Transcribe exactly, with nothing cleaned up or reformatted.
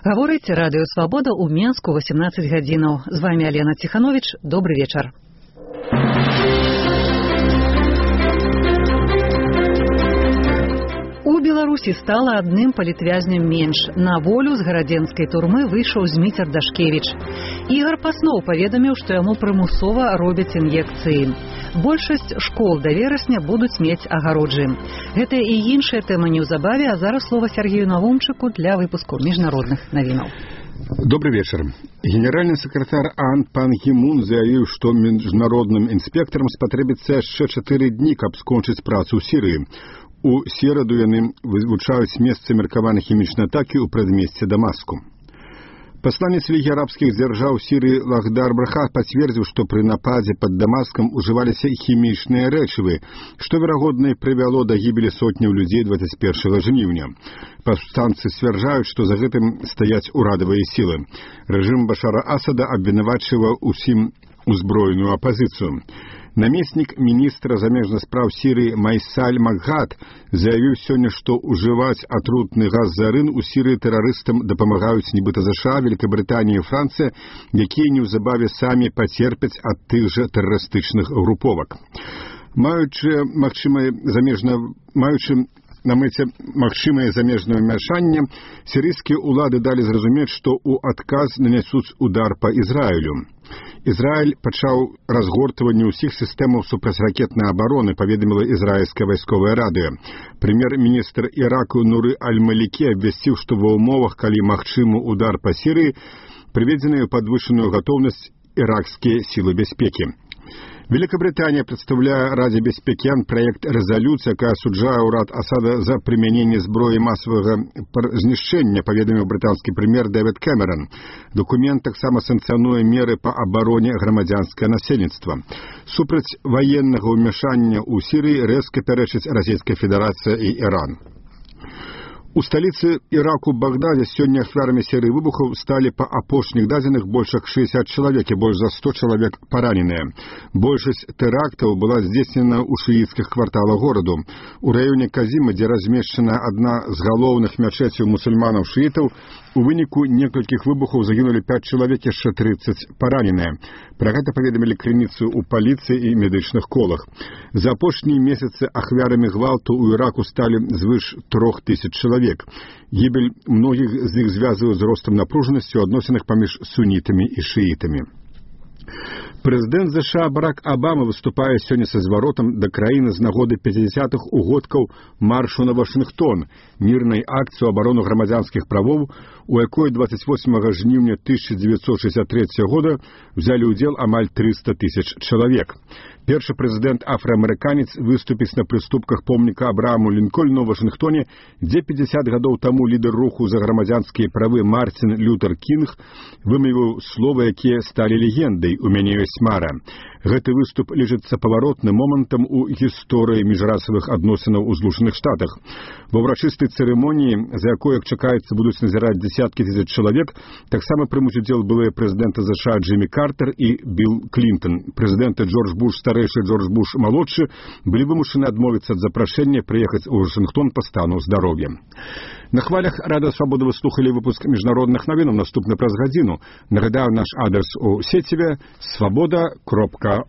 Гаворыць радыё «Свабода» ў Менску восемнадцать гадзінаў. З вами Алена Ціханович. Добрый вечар. У Беларусі стала адным палітвязнем менш. На волю з гарадзенскай турмы выйшаў Зміцер Дашкевіч. Ігар Пасноў паведаміў, што яму прымусова робяць ін'екцыі. Большасць школ да верасня будуць мець агароджы. Гэта і іншая тэма неўзабаве, а зараз слова Сергею Навумчыку для выпуску міжнародных навінаў. Добрый вечер. Генеральный секретарь АОН Пан Гі Мун заявіў, што міжнародным інспектарам спатрэбіцца яшчэ чатыры дні, каб скончыць працу ў Сірыі. У сераду яны вывучаюць месцы меркаванай хімічнай атакі ў прадмесці Дамаску. Пасланец Лігі арабскіх дзяржаў Сірыі Лахдар Браха пацвердзіў, што пры нападзе пад Дамаскам ужываліся хімічныя рэчывы, што, верагодна, прывяло да гібелі сотняў людзей дваццаць першага жніўня. Паўстанцы сцвярджаюць, што за гэтым стаяць урадавыя сілы. Рэжым Башара Асада абвінавачвае ўсім узброеную апазіцыю. Намеснік міністра замежных спраў Сірыі Майсаль Макгад заявіў сёння, што ўжываць атрутны газ зарын у Сірыі тэрарыстам дапамагаюць нібыта ЗША, Великабрытанія і Францыя, якія неўзабаве самі пацерпяць ад тых жа тэрарыстычных груповак. Маючы магчымае замежна маючы на мэце магчымае замежнае ўмяшанне, сірыйскія ўлады далі зразумець, што ў адказ нанясуць удар па Ізраілю. Ізраіль пачаў разгортванне ўсіх сістэмаў супрацьракетнай абароны, паведаміла ізраільскае вайсковае радыё. Прэм'ер-міністр Іраку Нуры Аль-Малікі абвясціў, што ва ўмовах, калі магчымы удар па Сірыі, прыведзеныя ў падвышаную гатоўнасць іракскія сілы бяспекі. Великобритания представляет Раде бяспекі проект резолюции, якая асуджае ўрад Асада за прымяненне зброі масавага знішчэння, паведаміў брытанскі прэм'ер Дэвід Кэмерон. Документ таксама санкцыянуе меры па абароне грамадзянскае насельніцтва. Супраць ваеннага ўмяшання ў Сірыі рэзка пярэчыць Расійская Федэрацыя і Іран. У сталіцы Іраку Багдаде сёння ахвярамі серыі выбухаў сталі па апошніх дадзеных больш як шэсцьдзесят чалавек і больш за сто чалавек параненыя. Большасць тэрактаў была здзейснена ў шыіцкіх кварталах гораду. У раёне Казіма, дзе размешчана адна з галоўных мячэцяў мусульманаў-шыітаў, у выніку некалькіх выбухаў загінулі пяць чалавек, яшчэ трыццаць параненыя. Пра гэта паведамілі крыніцы ў паліцыі і медычных колах. За апошнія месяцы ахвярамі гвалту ў Іраку сталі звыш трох тысяч чалавек. Гібель многіх з іх звязываюць з ростам напружанасці ў адносінах паміж сунітамі і шыітамі. Прэзідэнт ЗША Барак Абама выступае сёння са зваротам да краіны з нагоды пяцідзясятых угодкаў маршу на Вашынгтон, мірнай акцыі ў абарону грамадзянскіх правоў, у якой дваццаць восьмага жніўня тысяча дзевяцьсот шэсцьдзесят трэцяга года взялі ўдзел амаль трыста тысяч чалавек. Першы прэзідэнт афраамерыканец выступіць на прыступках помніка Абрааму Лінкольну ў Вашынгтоне, дзе пяцьдзясят гадоў таму лідар руху за грамадзянскія правы Мартин Лютер Кінг вымавіў словы, якія сталі легендай «У мяне ёсць мара». Гэты выступ лічыцца паваротным момантам у гісторыі міжрасавых адносінаў у Злучаных Штатах. Ва ўрачыстай цырымоніі, за якой, як чакаецца, будуць назіраць дзесяткі тысяч чалавек, таксама прымуць удзел былыя прэзідэнты ЗША Джиммі Картер і Билл Клінтон. Прэзідэнты Джордж Буш старэйшы і Джордж Буш малодшы былі вымушаны адмовіцца ад запрашэння прыехаць у Вашынгтон па стану здароўя. На хвалях Радыё Свабода вы слухалі выпуск міжнародных навінаў, наступны праз гадзіну. Нагадаю, наш адрес у сеціве свабода кропка